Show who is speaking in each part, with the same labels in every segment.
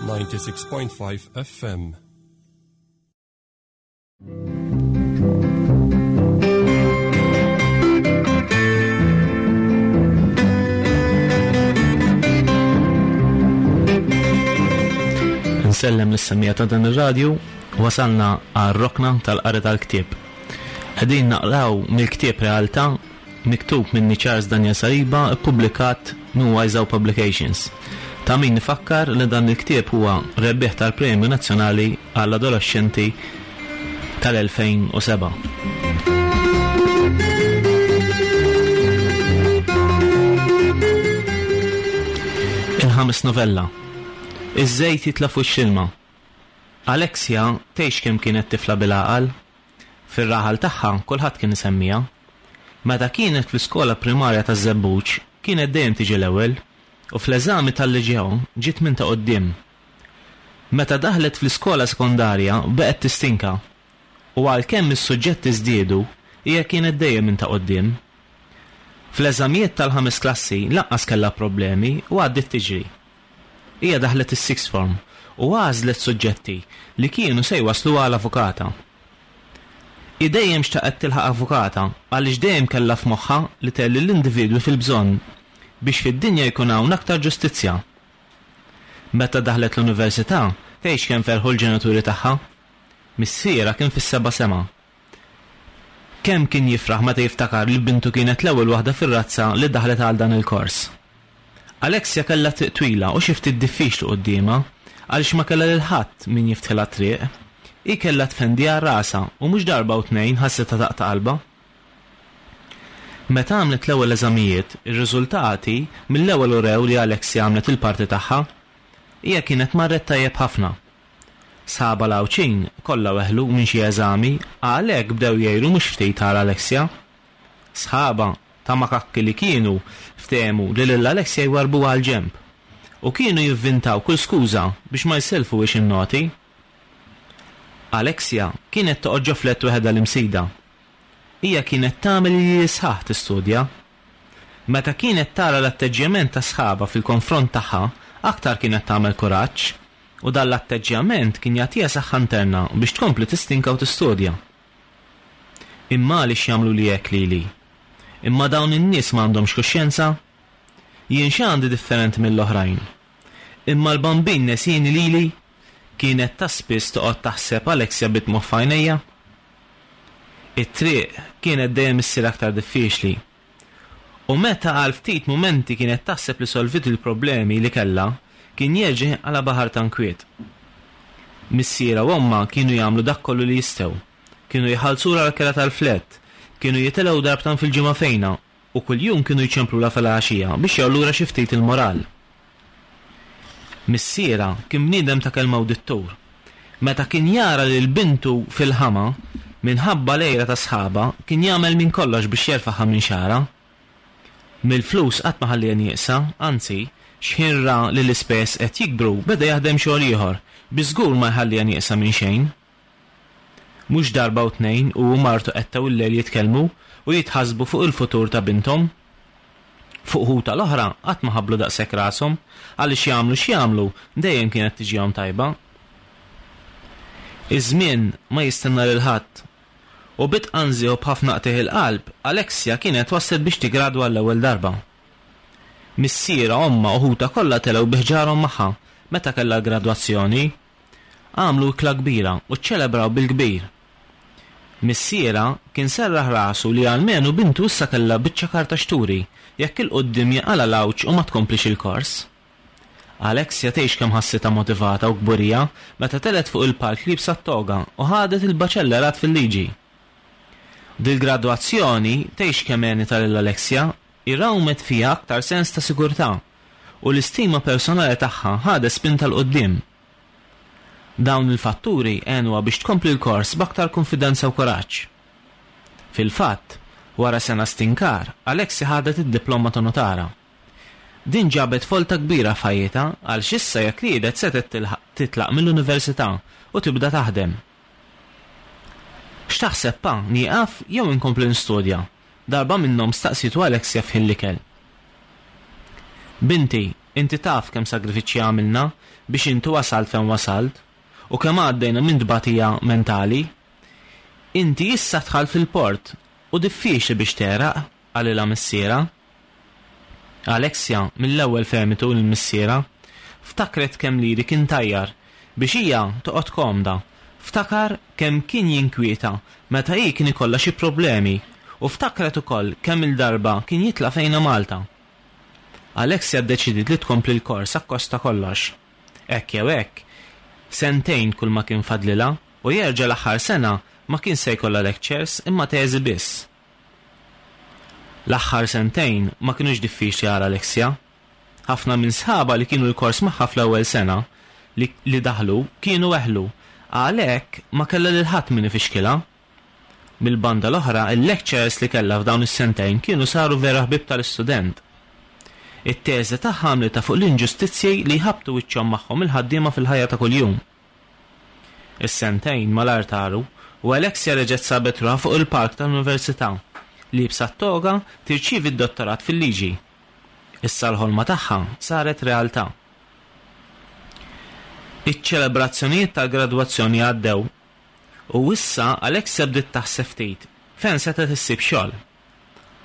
Speaker 1: 96.5 FM.
Speaker 2: Nsellem lis-semmiegħa ta' dan ir-radju, wasalna għar-rokna tal-qari tal-ktieb. Qegħdin naqraw mill-ktieb Realtà miktub minni Charles Daniel Saliba ppubblikat minn Wiseau Publications. Ta' min ifakkar li dan il-ktieb huwa rebbieħ tal-Premju Nazzjonali għall-Adolexxenti tal-2007. Il-ħames novella. Iż-żejt jitla' f'wiċċ l-ilma. Alexia tgħix kemm kienet tifla bil-għaqal. Fir-raħal tagħha kulħadd kien isemmiha. Meta kienet fl-iskola primarja taż-Żebbuġ kienet dejjem tiġi l-ewwel u fl-eżami tal-Liġeo ġiet minn ta' quddiem. Meta daħlet fl-iskola sekondarja baqgħet tistinka u għalkemm is-suġġetti żdiedu hija kienet dejjem minn ta' quddiem. Fl-eżamijiet tal-ħames klassi lanqas kellha problemi u għaddiet tiġri. Hija daħlet is-sixth form u għażlet suġġetti li kienu se jwassluha għal avukata. Hi dejjem xtaqet tilħaq avukata għaliex dejjem kellha f'moħħha li tgħin lill-individwi fil-bżonn biex fid-dinja jkun hawn aktar ġustizzja. Meta daħlet l-università, tgħidx kemm ferħu l-ġenituri tagħha. Missierha kien fis-seba' sema. Kemm kien jifraħ meta jiftakar li bintu kienet l-ewwel waħda fir-razza li daħlet għal dan il-kors. Alexia kellha triq twila u xi ftit diffiċli quddiemha għaliex ma kellha lil ħadd min jiftħilha t-triq. Hi kellha tfendi għal rasha u mhux darba u tnejn ħassitha taqta' qalbha. Meta għamlet l-ewwel eżamijiet, ir-riżultati mill-ewwel urew li Alexia għamlet il-parti tagħha. Hija kienet marret tajjeb ħafna. Sħabha l-Għawdxin kollha weħlu minn xi eżami, għalhekk bdew jgħiru mhux ftit għal Alexia. Sħabha, ta' makakki li kienu, ftehmu li lil Alexia jwarrbuha għall-ġenb. U kienu jivvintaw kull skuża biex ma jsellfuhiex in-noti. Alexia kienet toqgħod ġo flett weħedha l-Imsida. Hija kienet tagħmel iljieli sħaħ tistudja. Meta kienet tara l-atteġġjament ta' sħabha fil-konfront tagħha, aktar kienet tagħmel kuraġġ, u dan l-atteġġjament kien jagħtiha saħħa interna biex tkompli tistinka u tistudja. Imma għaliex jagħmluli hekk lili? Imma dawn in-nies ma għandhomx kuxjenza? Jien x'għandi differenti mill-oħrajn? Imma l-Bambin nesieni lili? Kienet ta' spiss toqgħod taħseb Alexia bid-dmugħ f'għajnejha. It-triq kienet dejjem issir aktar diffiċli. U meta għal ftit mumenti kienet taħseb li solviet il-problemi li kellha, kien jerġa' jinqala' baħar ta' nkwiet. Missierha u ommha kienu jagħmlu dak kollu li jistgħu. Kienu jħallsulha l-kera tal-flett, kienu jitilgħu darbtan fil-ġimgħa fejnha u kuljum kienu jċemplulha filgħaxija biex jgħollulha xi ftit il-moral. Missierha kien bniedem ta' kelma u dittur. Meta kien jara lil bintu fil-ħama, minħabba l-għira ta' sħabha, kien jagħmel minn kollox biex jerfagħha minn xagħarha. Mill-flus qatt ma ħalliha nieqsa, anzi, x'ħin ra li l-ispejjeż qed jikbru beda jaħdem xogħol ieħor biex żgur ma jħalliha nieqsa minn xejn. Mhux darba u tnejn hu u martu qettgħu l-lejl jitkellmu u jitħassbu fuq il-futur ta' binthom. Fuq ħutha l-oħra qatt ma ħabblu daqshekk rashom, għaliex jagħmlu x'jagħmlu dejjem kienet tiġihom tajba. Iż-żmien ma jistenna lil ħadd. U bi tqanżih u b'ħafna qtigħ il-qalb, Alexia kienet waslet biex tiggradwa għall-ewwel darba. Missierha, ommha u ħutha kollha telgħu bi ħġarhom magħha meta kellha l-gradwazzjoni. Għamlu ikla kbira u ċċelebraw bil-kbir. Missierha kien serraħ rasu li almenu bintu issa kellha biċċa karta x'turi jekk 'il quddiem jaqalha l-għawġ u ma tkomplix il-kors. Alexia tgħix kemm ħassitha motivata u kburija meta telgħet fuq il-palk liebsa t-toga u ħadet il-baċellerat fil-liġi. Dil-gradwazzjoni tgħix kemm għenitha lil Alexia hi rawmet fiha aktar sens ta' sigurtà u l-istima personali tagħha ħadet spinta 'l quddiem. Dawn il-fatturi għenuha biex tkompli l-kors b'aktar kunfidenza u kuraġġ. Fil-fatt, wara sena stinkar, Alexi ħadet id-diploma ta' nutara. Din ġabet folta kbira f'ħajjitha għaliex issa jekk riedet setgħet titlaq mill-università u tibda taħdem. X'taħseb pa, nieqaf jew inkompli nistudja? Darba minnhom staqsietu Alexia f'ħin l-ikel. Binti, Inti taf kemm sagrifiċċji għamilna biex inti wasalt fejn wasalt u kemm għaddejna minn tbatija mentali. Inti issa dħalt fil-port u diffiċli biex tegħraq, qalilha missierha. Alexia mill-ewwel fehmitu lil missierha. Ftakret kemm liri kien tajjar biex hija toqgħod komda. Ftakar kemm kien jinkwieta meta hi kien ikollha xi problemi u ftakret ukoll kemm-il darba kien jitla' fejna Malta. Alexia ddeċidiet li tkompli l-kors akkost ta' kollox. Hekk jew hekk, sentejn kulma kien fadlilha u jerġa' l-aħħar sena ma kien se jkollha lectures imma teżi biss. L-aħħar sentejn ma kinux diffiċli għal Alexia. Ħafna minn sħabha li kienu l-kors magħha fl-ewwel sena li li daħlu kienu weħlu, għalhekk ma kellha lil ħadd min ifixkilha. Mill-banda l-oħra, il-lecturers li kellha f'dawn is-sentejn kienu saru vera ħbieb tal-istudent. It-teżi tagħha għamlitha fuq l-inġustizzji li jħabbtu wiċċhom magħhom il-ħaddiema fil-ħajja ta' kuljum. Is-sentejn malajr taru u Alexia reġgħet sabet ruħha fuq il-palk tal-università, liebsa t-toga tirċievi d-dottorat fil-liġi. Issa l-ħolma tagħha saret realtà. Iċ-ċelebrazzjonijiet tal-gradwazzjoni għaddew u issa Alexia bdiet taħseb ftit fejn setgħet issib xogħol.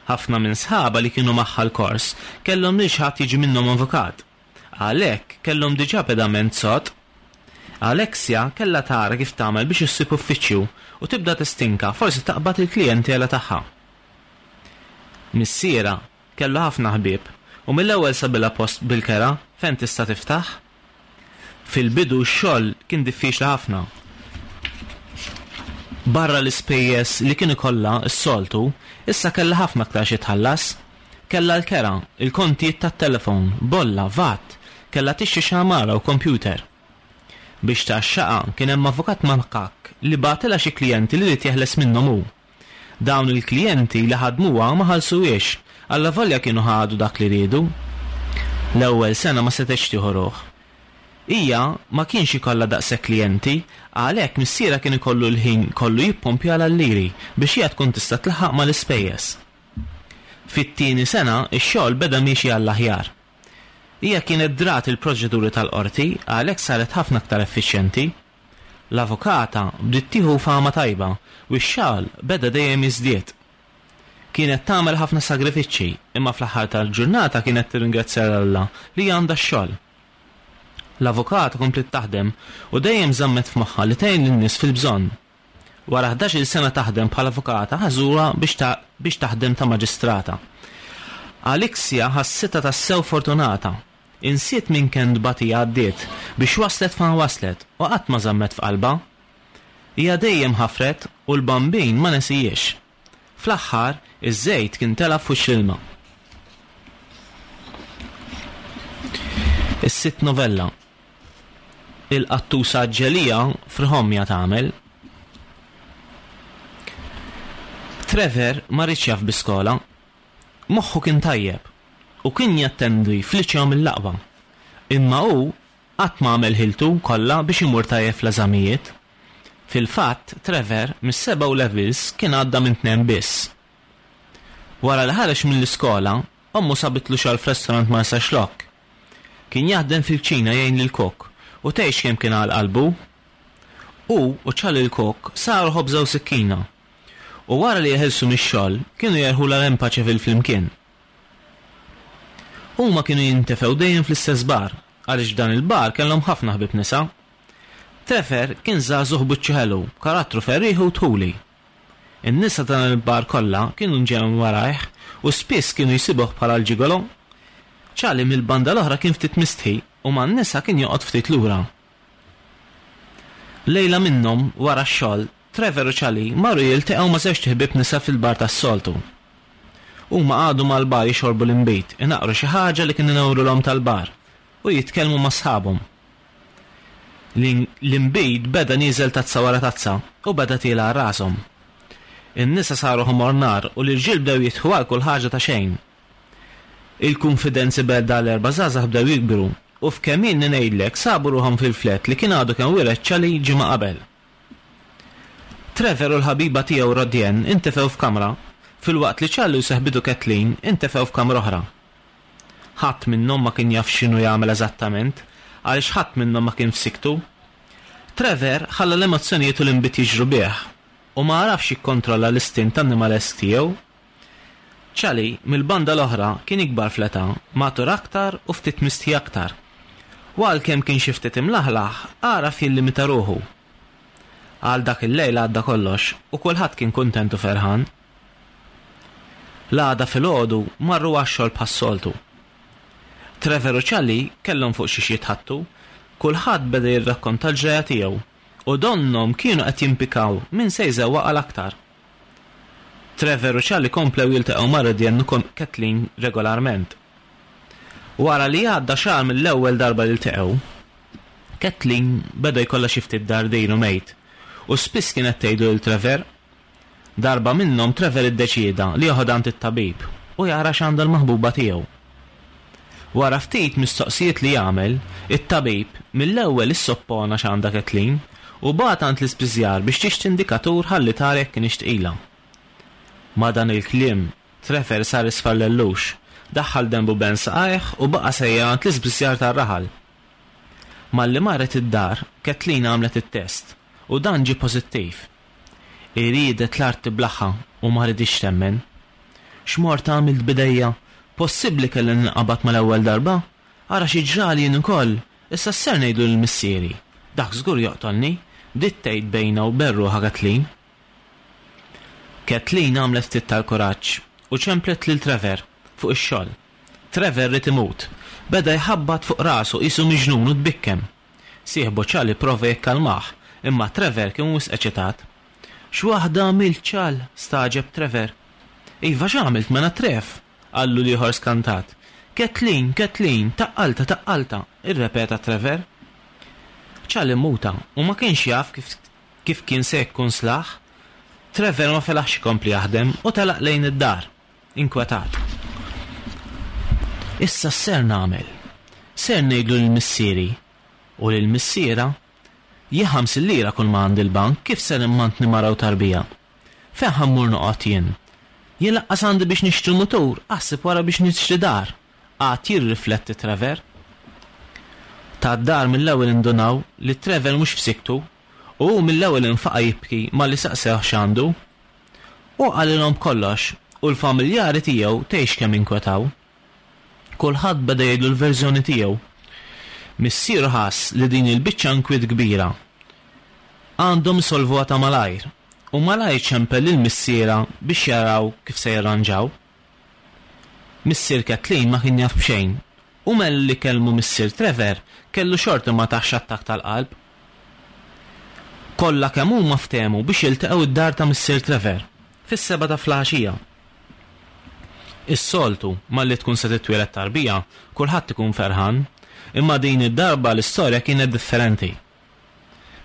Speaker 2: Ħafna minn sħabha li kienu magħha l-kors kellhom lil xi ħadd jiġi minnhom avukat. Għalhekk, kellhom diġà pedament sod. Alexia kellha tara kif tagħmel biex issib uffiċċju u tibda tistinka forsi taqbad il-klijentela tagħha. Missierha kellu ħafna ħbieb u mill-ewwel sabilha post bil-kera fejn tista' tiftaħ. Fil-bidu x-xogħol kien diffiċli ħafna. Barra l-ispejjeż li kien ikollha s-soltu, issa kellha ħafna aktar xi tħallas. Kellha l-kera, il-kontijiet tat-telefon, bolla, vat, kellha tixtri xi għamara u kompjuter. Biex tgħaxxaqha kien hemm avukat makakk li bagħtilha xi klijenti li ried jeħles minnhom hu. Dawn il-klijenti li ħadmuha ma ħallsuhiex, allavolja kienu ħadu dak li riedu. L-ewwel sena ma setgħetx tieħu ruħ. Hija ma kienx ikollha daqshekk klijenti, għalhekk missierha kien ikollu l-ħin kollu jippumpjalha l-liri biex hija tkun tista' tlaħħaq mal-ispejjeż. Fit-tieni sena x-xogħol beda miexi għall-aħjar. Hija kienet drat il-proċeduri tal-qorti għalhekk saret ħafna aktar effiċjenti. L-avukata bdiet tieħu fama tajba u x-xogħol beda dejjem jiżdied. Kienet tagħmel ħafna sagrifiċċji imma fl-aħħar tal-ġurnata kienet tirringrazzja 'l Alla li għandha x-xogħol. L-avukata kompliet taħdem u dejjem żammet f'moħħha li tgħin lin-nies fil-bżonn. Wara ħdax-il sena taħdem bħala avukata ħażuha biex biex taħdem ta' maġistrata. Alexia ħassitha tassew fortunata. Insiet minn kemm tbatija għaddiet biex waslet fejn waslet u qatt ma żammet f'qalbha. Hija dejjem ħafret u l-Bambin ma nesihiex. Fl-aħħar, iż-żejt kien tela' f'wiċċ l-ilma. Is-sitt novella. Il-qattusa ġelija friħomja tagħmel. Trevor ma riedx jaf bi skola. Moħħu kien tajjeb u kien jattendi f'liċeo mill-aqwa. Imma hu qatt ma għamel ħiltu kollha biex imur tajjeb fl-eżamijiet. Fil-fatt, Trevor mis-seba' O Levels kien għadda minn tnejn biss. Wara li ħareġ mill-iskola, ommu sabitlu xogħol f'restaurant Marsaxlokk. Kien jaħdem fil-kċina jgħin lill-kok u tgħix kemm kien għal qalbu. Hu u Charlie l-kok saru ħobża u sikkina. U wara li jeħilsu mix-xogħol, kienu jerħulha l-Empaċeville flimkien. Huma kienu jintefgħu dejjem fl-istess bar, għaliex f'dan il-bar kellhom ħafna ħbieb nisa. Trevor kien żagħżugħ b'wiċċu ħelu, b'karattru ferrieħi u dħuli. In-nisa ta' dan il-bar kollha kienu nġew warajh u spiss kienu jsibuh bħala l-ġigolo. Charlie mill-banda l-oħra kien ftit mistħi u man-nisa kien joqgħod ftit lura. Lejla minnhom, wara x-xogħol, Trevor u Charlie marru jilteqgħu ma' żewġt iħbieb nisa fil-bar tas-soltu. Huma qagħdu mal-bar jixorbu l-inbid, inaqqru xi ħaġa li kien inewrulhom tal-bar, u jitkellmu ma' sħabhom. L-inbid beda nieżel tazza wara tazza u beda tiela' għal rashom. In-nisa saru ħomor nar u l-irġiel bdew jidħku għal kull ħaġa ta' xejn. Il-kunfidenzi bejn dawn l-erba' żgħażagħ bdew jikbru u f'kemm ilni ngħidlek sabu ruħhom fil-flat li kien għadu kemm wiret Charlie ġimgħa qabel. Trevor u l-ħabiba tiegħu Rodienne intefgħu f'kamra, filwaqt li Charlie u seħbitu Kathleen intefgħu f'kamra oħra. Ħadd minnhom ma kien jaf x'inhu jagħmel eżattament, għaliex ħadd minnhom ma kien f'siktu. Trevor ħalla l-emozzjonijiet u l-inbid jiġru bih, u ma għarafx jikkontrolla l-istint annimalesk tiegħu. Charlie, mill-banda l-oħra, kien ikbar fl-età, matur aktar u ftit mistħi aktar. U għalkemm kien xi ftit imlaħlaħ, għaraf jillimita ruħu. Għal dak il-lejl għadda kollox, u kulħadd kien kuntent u ferħan. L-għada filgħodu marru għax-xogħol bħas-soltu. Trevor u Charlie kellhom fuq xiex jitħaddtu, kulħadd beda jirrakkonta l-ġrajja tiegħu u donnhom kienu qed jimpikaw min se jżewwaq għal aktar. Trevor u Charlie komplew jiltaqgħu ma' Rodian u Kathleen regolarment. Wara li għadda xahar mill-ewwel darba li ltaqgħu, Kathleen beda jkollha xi ftit dardir u mejt u spiss kienet tgħidlu lil Trevor. Darba minnhom Trevor iddeċieda li joħodha għand it-tabib u jara x'għandha l-maħbuba tiegħu. Wara ftit mistoqsijiet li għamel, it-tabib mill-ewwel issoppona x'għandha Kathleen u bagħatha għand l-ispiżjar biex tixtri indikatur ħalli tara jekk kinitx tqila. Ma' dan il-kliem, Trevor sar isfar lellux, daħħal denbu ben saqajh u baqa' sejjer għand l-ispiżjar tar-raħal. Malli marret id-dar, Kathleen għamlet it-test u dan ġie pożittiv. Hi riedet l-art tiblagħha u ma riditx temmen. X'mort għamilt b'idejja? Possibbli kelli ninqabad mal-ewwel darba? Ara xi ġrali jien ukoll! Issa x'ser ngħidlu lil missieri? Dak żgur joqtolni! Bdiet tgħid bejnha u ben ruħha Kathleen. Kathleen għamlet ftit tal-kuraġġ u ċemplet lil Trevor fuq ix-xogħol. Trevor ried imut. Beda jħabbat fuq rasu qisu miġnun u tbikkem. Sieħbu Charlie pprova jikkalmah, imma Trevor kien wisq eċitat. X'waħda għamilt, Chal? stagħġeb Trevor. Iva x'għamilt mela Trev? qallu l-ieħor skantat. Kathleen, Kathleen, taqqaltha, taqqaltha, irrepeta Trevor. Chal immuta u ma kienx jaf kif kif kien se jikkunslah. Trevor ma felaħx ikompli jaħdem u telaq lejn id-dar. Inkwetat. Issa x'ser nagħmel? Ser ngħidlu lil missieri? U lil missierha? Jien 50 lira kull ma għandi l-bank, kif ser immantni mara u tarbija? Fejn ħa mmur noqgħod jien? Jien laqqas għandi biex nixtri mutur, aħseb wara biex nixtri dar! Qagħad jirrifletti Trevor. Tad-dar mill-ewwel indunaw li Trevor mhux f'siktu u hu mill-ewwel infaqa' jibki malli saqsewh x'għandu. Hu qalilhom b'kollox u l-familjari tiegħu tgħix kemm inkwetaw. Kulħadd beda jgħidlu l-verżjoni tiegħu. Missieru ħass li din il-biċċa inkwiet kbira. Għandhom isolvuha ta' malajr u malajr ċempel lil missierha biex jaraw kif se jirranġaw. Missier Kathleen ma kien jaf b'xejn u malli kellmu missier Trevor kellu xorti ma tahx attakk tal-qalb. Kollha kemm huma ftehmu biex jiltaqgħu d-dar ta' missier Trevor fis-sebgħa ta' flaħaxija. Is-soltu, malli tkun se titwieled tarbija, kulħadd ikun ferħan, imma din id-darba l-istorja kienet differenti.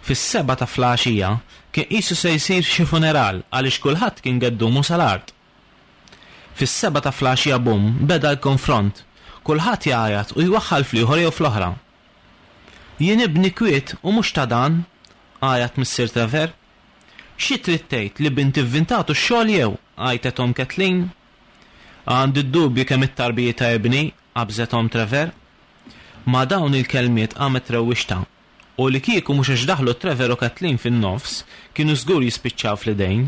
Speaker 2: Fis-sebgħa ta' flaħaxija kien qisu se jsir xi funeral għaliex kulħadd kien geddumu sal-art. Fis-sebgħa ta' flaxija bumm beda l-konfront, kulħadd jgħajjat u jwaħħal fl-ieħor jew fl-oħra. Jien ibni kwiet u mhux ta' dan! għajat missier Trevor. Xi trid tgħid li binti vvintatu x-xogħol jew? għajtet omm Kathleen. Għandi d-dubji kemm it-tarbija ta' ibni, qabżet omm Trevor. Ma' dawn il-kelmiet qamet rewwixta u li kieku mhux għax daħlu Trevor u Kathleen fin-nofs kienu żgur jispiċċaw fl-idejn.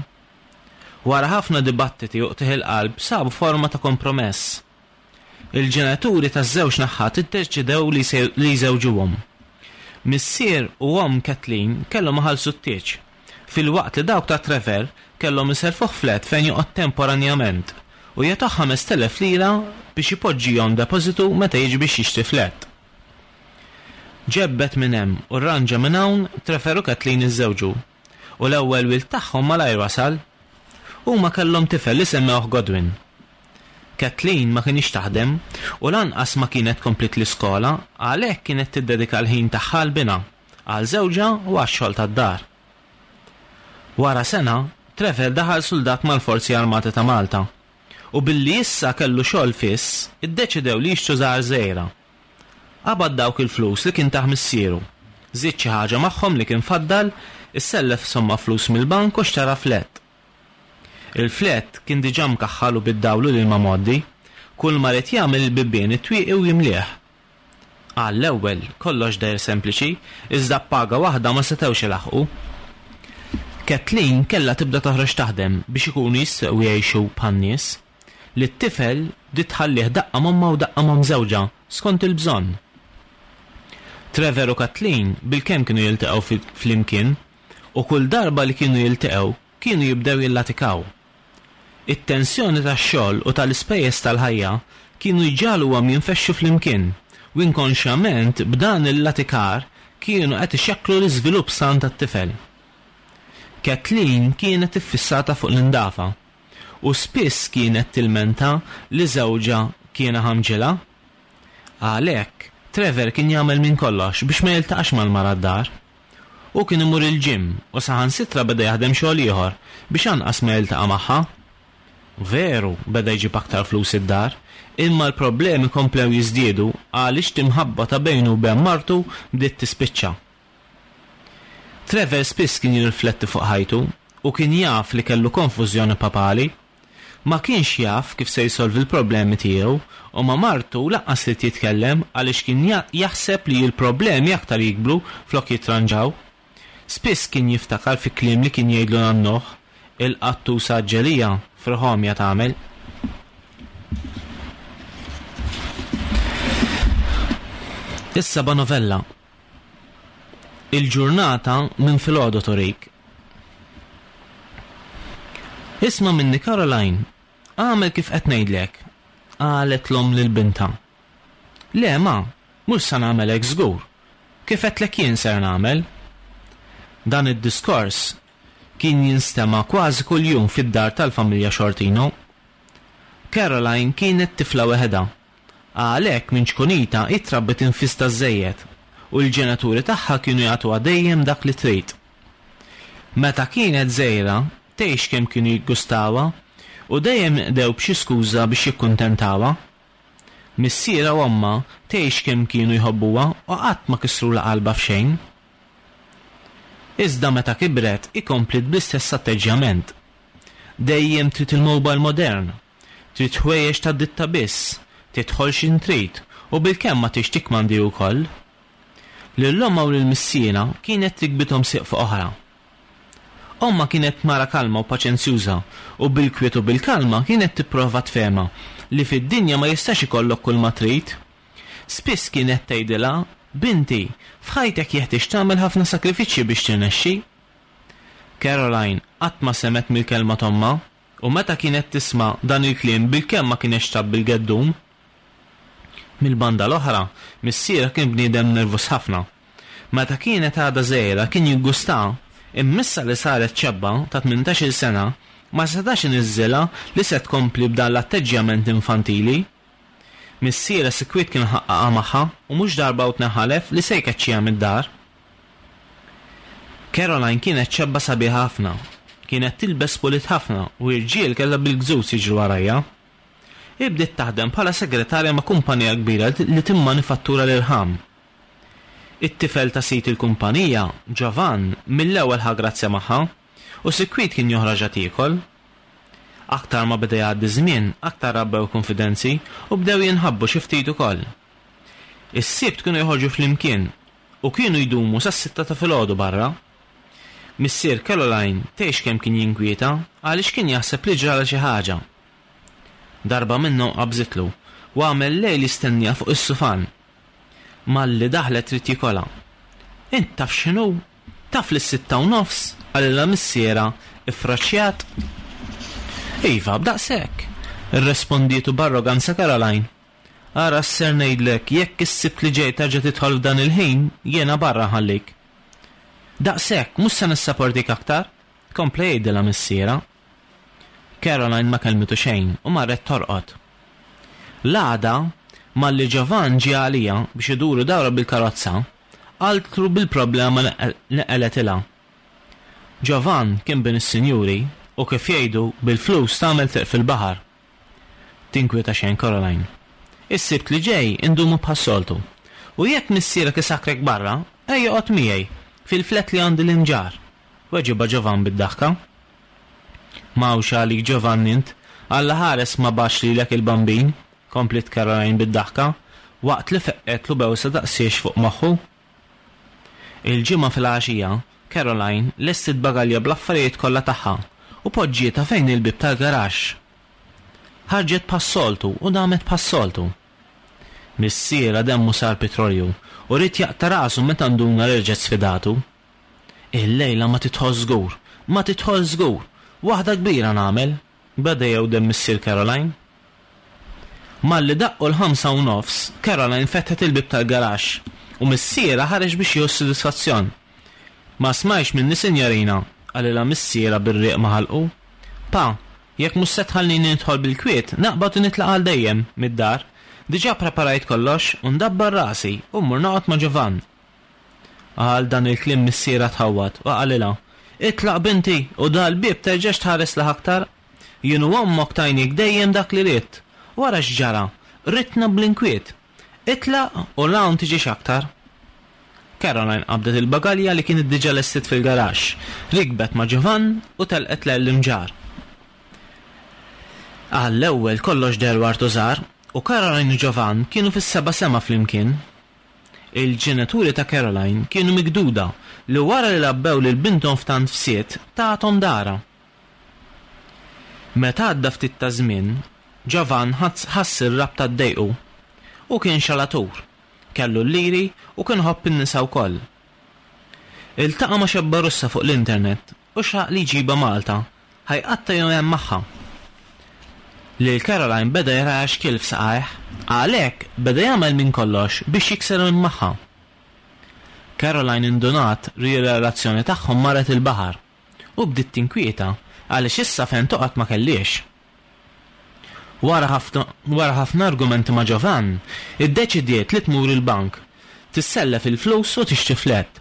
Speaker 2: Wara ħafna dibattiti u qtigħ il-qalb sabu forma ta' kompromess. Il-ġenituri taż-żewġ naħat iddeċidew li li jżewġuhom. Missier u omm Kathleen kellhom iħallsu t-tieġ, filwaqt li dawk ta' Trevor kellhom iserrfuh flat fejn joqgħod temporanjament u jagħtuh 5,000 lira biex ipoġġihom depożitu meta jiġi biex jixtri flat. Ġebbed minn hemm u rranġa minn hawn, Trevor u Kathleen iżżewġu. U l-ewwel wild tagħhom malajr wasal. Huma kellhom tifel li semmewh Godwin. Kathleen ma kinitx taħdem u lanqas ma kienet kompliet l-iskola għalhekk kienet tiddedika l-ħin tagħha għal binha, għal żewġha u għax-xogħol tad-dar. Wara sena, Trevor daħal suldat mal-Forzi Armati ta' Malta u billi issa kellu xogħol fiss iddeċidew li jixtru żgħar żgħira. Qabad dawk il-flus li kien tah missieru, żied xi ħaġa magħhom li kien faddal, issellef somma flus mill-bank u xtara flat. Il-flat kien diġà mkaħħal u bid-dawl u l-ilma mgħoddi. Kulma ried jagħmel il-bibien, it-twieqi u jimlieh. Għall-ewwel, kollox deher sempliċi, iżda b'paga waħda ma setgħux ilaħħqu. Kathleen kellha tibda toħroġ taħdem biex ikunu jistgħu jgħixu bħan-nies. Lit-tifel bdiet tħallih daqqa m'ommha u daqqa m'omm żewġha, skont il-bżonn. Trevor u Kathleen bilkemm kienu jiltaqgħu flimkien u kull darba li kienu jiltaqgħu kienu jibdew jillatikaw. It-tensjoni tax-xogħol u tal-ispejjeż tal-ħajja kienu jġagħluhom jinfexxu flimkien u inkonxjament b'dan il-latikar kienu qed ixekklu l-iżvilupp san tat-tifel. Kathleen kienet iffissata fuq l-indafa u spiss kienet tilmenta li żewġha kien iħammġilha. Għalhekk, Trevor kien jagħmel minn kollox biex ma jiltaqax mal-mara d-dar. Hu kien imur il-gym u saħansitra beda jaħdem xogħol ieħor biex anqas ma jiltaqa' magħha. Veru, beda jġib aktar flus id-dar, imma l-problemi komplew jiżdiedu għaliex l-imħabba ta' bejnu u ben martu bdiet tispiċċa. Trevor spiss kien jirrifletti fuq ħajtu u kien jaf li kellu konfużjoni papali. Ma kienx jaf kif se jsolvi l-problemi tiegħu u ma' martu lanqas ried jitkellem għaliex kien jaħseb li l-problemi aktar jikbru flok jitranġaw. Spiss kien jiftakar fi kliem li kien jgħidlu nannuh, Il-qattusa għaġġelija friħomja tagħmel. Is-seba' novella. Il-ġurnata minn filgħodu turik. Isma' minni Caroline, agħmel kif qed ngħidlek, qalet l-omm lil bintha. Le ma, mhux sa nagħmel hekk żgur. Kif għedtlek jien ser nagħmel. Dan id-diskors kien jinstema' kważi kuljum fid-dar tal-familja Xortino. Caroline kienet tifla weħedha Għalhekk minn ċkunitha hi trabbiet infista żżejjed u l-ġenituri tagħha kienu jagħtuha dejjem dak li trid. Meta kienet żgħira tgħix kemm kienu jiggustawha u dejjem inqdew b'xi skuża biex jikkuntentawha. Missierha u ommha tgħix kemm kienu jħobbuha u qatt ma kissrulha qalbha f'xejn. Iżda meta kibret hi kompliet bl-istess atteġġjament. Dejjem trid il-mobile modern Trid ħwejjeġ tad-ditta biss, tidħol x'ħin trid u bilkemm ma tridx tikkmandi wkoll. Lil ommha u lil missierha kienet trikbithom sieq fuq oħra. Ommha kienet mara kalma u paċenzjuża u bil-kwiet u bil-kalma kienet tipprova tfehmha li fid-dinja ma jistax ikollok kulma trid. Spiss kienet tgħidilha, Binti, f'ħajtek jeħtieġ tagħmel ħafna sagrifiċċji biex tirnexxi. Caroline qatt ma semgħet mill-kelma t'ommha. U meta kienet tisma' dan il-kliem bilkemm ma kinetx tgħabbi l-geddum. Mill-banda l-oħra, missierha kien bniedem nervuż ħafna. Meta kienet għadha żgħira kien jiggustaha, imma issa li saret xebba ta' tmintax-il sena, ma setax iniżżilha li se tkompli b'dan l-atteġġjament infantili. Missierha sikwit kien ħaqqaqha magħha u mhux darba u tnejn ħalef li se jkeċċiha mid-dar. Caroline kienet xebba sabiħa ħafna. Kienet tilbes pulit ħafna u irġiel kellha bil-gżuż jiġru warajha. Hi bdiet taħdem bħala segretarja ma' kumpanija kbira li timmanifattura l-irħam. It-tifel ta' sid il-kumpanija, Giovan, mill-ewwel ħa grazzja magħha u sikwit kien joħroġha tiekol. Aktar ma beda jgħaddi ż-żmien, aktar rabbew kunfidenzi u bdew jinħabbu xi ftit ukoll. Is-Sibt kienu joħorġu flimkien u kienu jdumu sas-sitta ta' filgħodu barra. Missier Caroline tgħix kemm kien jinkwieta għaliex kien jaħseb li ġralha xi ħaġa. Darba minnhom qabżitlu u għamel lejl jistenniha fuq is-sufan. Malli daħlet trid jikolha. Int taf x'inhu? Taf li s-sitta u nofs? qalilha missierha iffraċjat. Iva, b'daqshekk! irrespondietu b'arroganza Caroline. Ara x'ser ngħidlek, jekk is-Sibt li ġej terġa' tidħol f'dan il-ħin, jiena barra nħallik. Daqshekk, mhux se nissaportik aktar! kompla jgħidilha missierha. Caroline ma kellmitu xejn u marret torqod. L-għada, malli Giovan ġie għaliha biex iduru dawra bil-karozza, qaltlu bil-problema li qeletilha. Giovan kien bin is-sinjuri u kif jgħidu, bil-flus tagħmel triq fil-baħar. Tinkwieta xejn Caroline. Is-Sibt li ġej indumu bħas-soltu. U jekk missierek isakkrek barra, ejja oqgħod miegħi, fil-flat li għandi l-Imġarr, weġibha Giovan bid-daħka. M'hawnx għalik Giovanni int, Alla ħares ma bagħatx lilek il-Bambin! kompliet Caroline bid-daħka, waqt li feqqgħetlu bewsa daqsiex fuq moħħu. Il-Ġimgħa filgħaxija, Caroline lestiet bagalja bl-affarijiet kollha tagħha u poġġietha fejn il-bieb tal-garaxx. Ħarġet bħas-soltu u damet bħas-soltu. Missierha demmu sar pitrolju u ried jaqta' rasu meta nduna li reġgħet sfidatu. Illejla ma tidħolx żgur, ma tidħolx żgur! Waħda kbira nagħmel! beda jewdem missier Caroline. Malli daqqu l-ħamsa u nofs, Caroline fetħet il-bieb tal-garaxx u missierha ħareġ biex jieħu s-sodisfazzjon. Ma smajtx minni sinjorina, qalilha missierha bir-riq ma' ħalqu. Pa, jekk mhux se tħallini nidħol bil-kwiet, naqbad u nitlaq għal dejjem mid-dar. Diġà ppreparajt kollox u ndabbar rasi u mmur noqgħod ma' Giovann. Għal dan il-kliem missierha tħawwad u qalilha, Itlaq binti u dal-bieb terġax tħares lejh aktar. Jien u ommok tajniek dejjem dak li ridt. U ara x'ġara, qridtna bl-inkwiet. Itlaq u 'l hawn tiġix aktar. Caroline qabdet il-bagalja li kienet diġà lestiet fil-garaxx, rikbet ma' Giovann u telqet lejn l-Imġarr. Għall-ewwel kollox deher ward u żgħar u Caroline u Giovann kienu fis-seba' sema flimkien. Il-ġenituri ta' Caroline kienu mikduda li wara li rabbew lil binthom f'tant fsied, tathom darha. Meta għadda ftit taż-żmien, Giovann ħass ir-rabta ddejqu. Hu kien xalatur, kellu l-liri u kien iħobb in-nisa wkoll. Iltaqa' ma' xebba Russa fuq l-internet u xtaq li jġibha Malta Ħa jqatta' jumejn magħha. Lil Caroline beda jaraha xkiel f'saqajh, għalhekk beda jagħmel minn kollox biex jikser minn magħha. Caroline indunat ri r-relazzjoni tagħhom marret il-baħar u bdiet tinkwieta għaliex issa fejn toqgħod ma kellhiex. Wara wara ħafna argumenti ma' Giovann, iddeċidiet li tmur il-bank, tissellef il-flus u tixtri flat.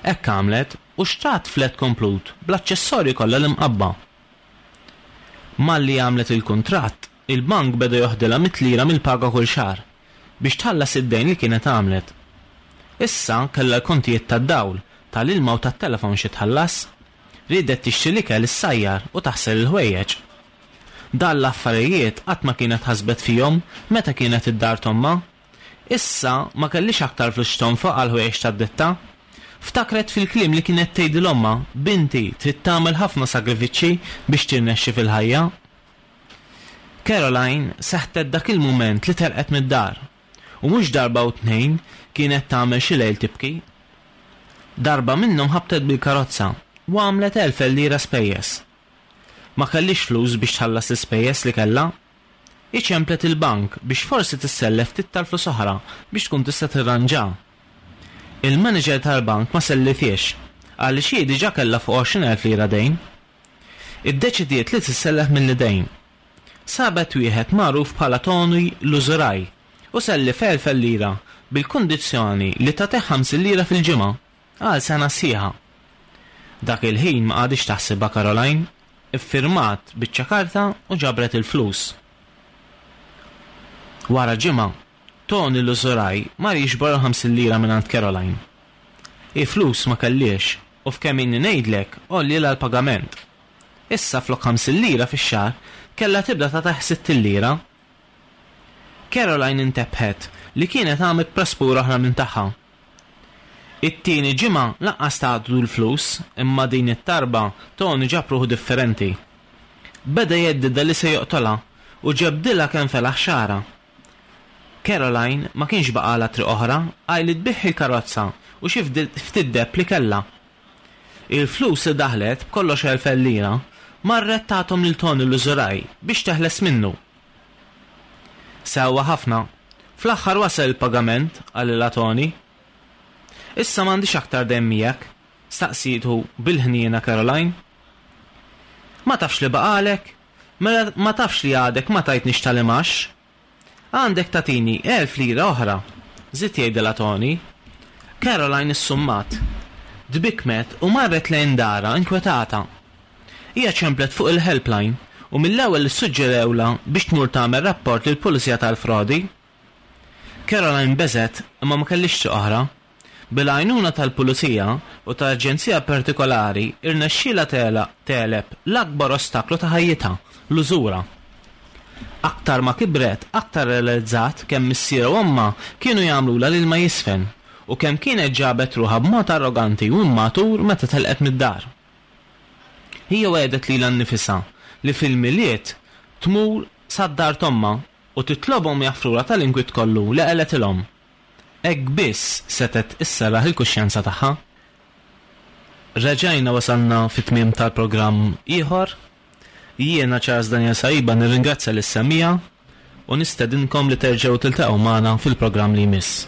Speaker 2: Hekk għamlet u xtrat flat komplut bl-aċċessorji kollha l-imqabba. Malli għamlet il-kuntratt, il-bank beda joħdilha mit-lira mill-paga kull xahar biex tħallas id-dejn li kienet għamlet. Issa kellha l-kontijiet tad-dawl, tal-ilma u tat-telefon xi tħallas. Riedet tixtri l-ikel issajjar u taħsel il-ħwejjeġ. Dan l-affarijiet qatt ma kienet ħasbet fihom meta kienet id-dar t'ommha. Issa ma kellhiex aktar flus x'tonfoq għall-ħwejjeġ tad-ditta. Ftakret fil-kliem li kienet tgħidil ommha, Binti, trid tagħmel ħafna sagrifiċċji biex tirnexxi fil-ħajja. Caroline seħtet dak il-mument li telqet mid-dar, u mhux darba u tnejn kienet tagħmel xi lejl tibki. Darba minnhom ħabtet bil-karozza u għamlet 1000 lira spejjeż. Ma kellhiex flus biex tħallas l-ispejjeż li kellha. Hi ċemplet il-bank biex forsi tissellef ftit tal-flus oħra biex tkun tista' tirranġa. Il-manager tal-bank ma sellifhiex għaliex hi diġà kellha fuq 20,000 lira dejn. Iddeċidiet li tissellef mill-idejn. Sabet wieħed magħruf bħala Tony l-użuraj u sellifha 1,000 lira bil-kundizzjoni li tagħtih 50 lira fil-ġimgħa. Għal sena sħiħa. Dak il-ħin ma qagħditx taħsibha Caroline, iffirmat biċċa karta u ġabret il-flus. Wara ġimgħa, Tony l-użuraj mar jiġbor il-50 lira mingħand Caroline. Hi flus ma kellhiex u f'kemm ilni ngħidlek għollielha l-pagament. Issa flok 50 lira fix-xahar kellha tibda tagħtih 60 lira. Caroline intebħet li kienet għamlet praspura oħra minn tagħha. It-tieni ġimgħa lanqas tgħaddlu l-flus imma din it-tarba Tony ġab ruħu differenti. Beda jheddidha li se joqtolha u ġebdilha kemm felaħ xagħarha. Caroline ma kienx baqgħalha triq oħra għajr li tbigħ il-karozza u xi ftit deheb li kellha. Il-flus li daħlet, b'kollox 1000 lira, marret tathom lil Tony l-użuraj biex teħles minnu. Sewwa ħafna. Fl-aħħar wasal il-pagament, qalilha Tony. Issa m'għandix aktar dejn miegħek? staqsietu bil-ħniena Caroline. Ma tafx li baqagħlek? Mela ma tafx li għadek ma tajtnix tal-imgħax? Għandek tagħtini 1000 lira oħra, żied jgħidilha Tony. Caroline issummat. Tbikkmet u marret lejn darha inkwetata. Hija ċemplet fuq il-helpline u mill-ewwel issuġġerewlha biex tmur tagħmel rapport lill-pulizija tal-frodi. Caroline beżgħet imma ma kellhiex triq oħra. Bil-għajnuna tal-pulizija u ta' aġenzija partikolari irnexxielha tegħleb l-akbar ostaklu ta' ħajjitha, l-użura. Aktar ma kibret, aktar rrealizzat kemm missierha u ommha kienu jagħmlulha l-ilma jiżfen u kemm kienet ġabet ruħha b'mod arroganti u immatur meta telqet mid-dar. Hija wegħdet lilha nnifisha li fil-Milied tmur sad-dar t'ommha u titlobhom jaħfrulha tal-inkwiet kollu li qalgħetilhom. Hekk biss setgħet isserraħ il-kuxjenza tagħha. Reġajna wasalna fit-tmiem tal-programm ieħor. Jiena Charles Daniel Saiba nirringrazzja lis-semmiegħa u nistedinkom li terġgħu tiltaqgħu magħna fil-programm li jmiss.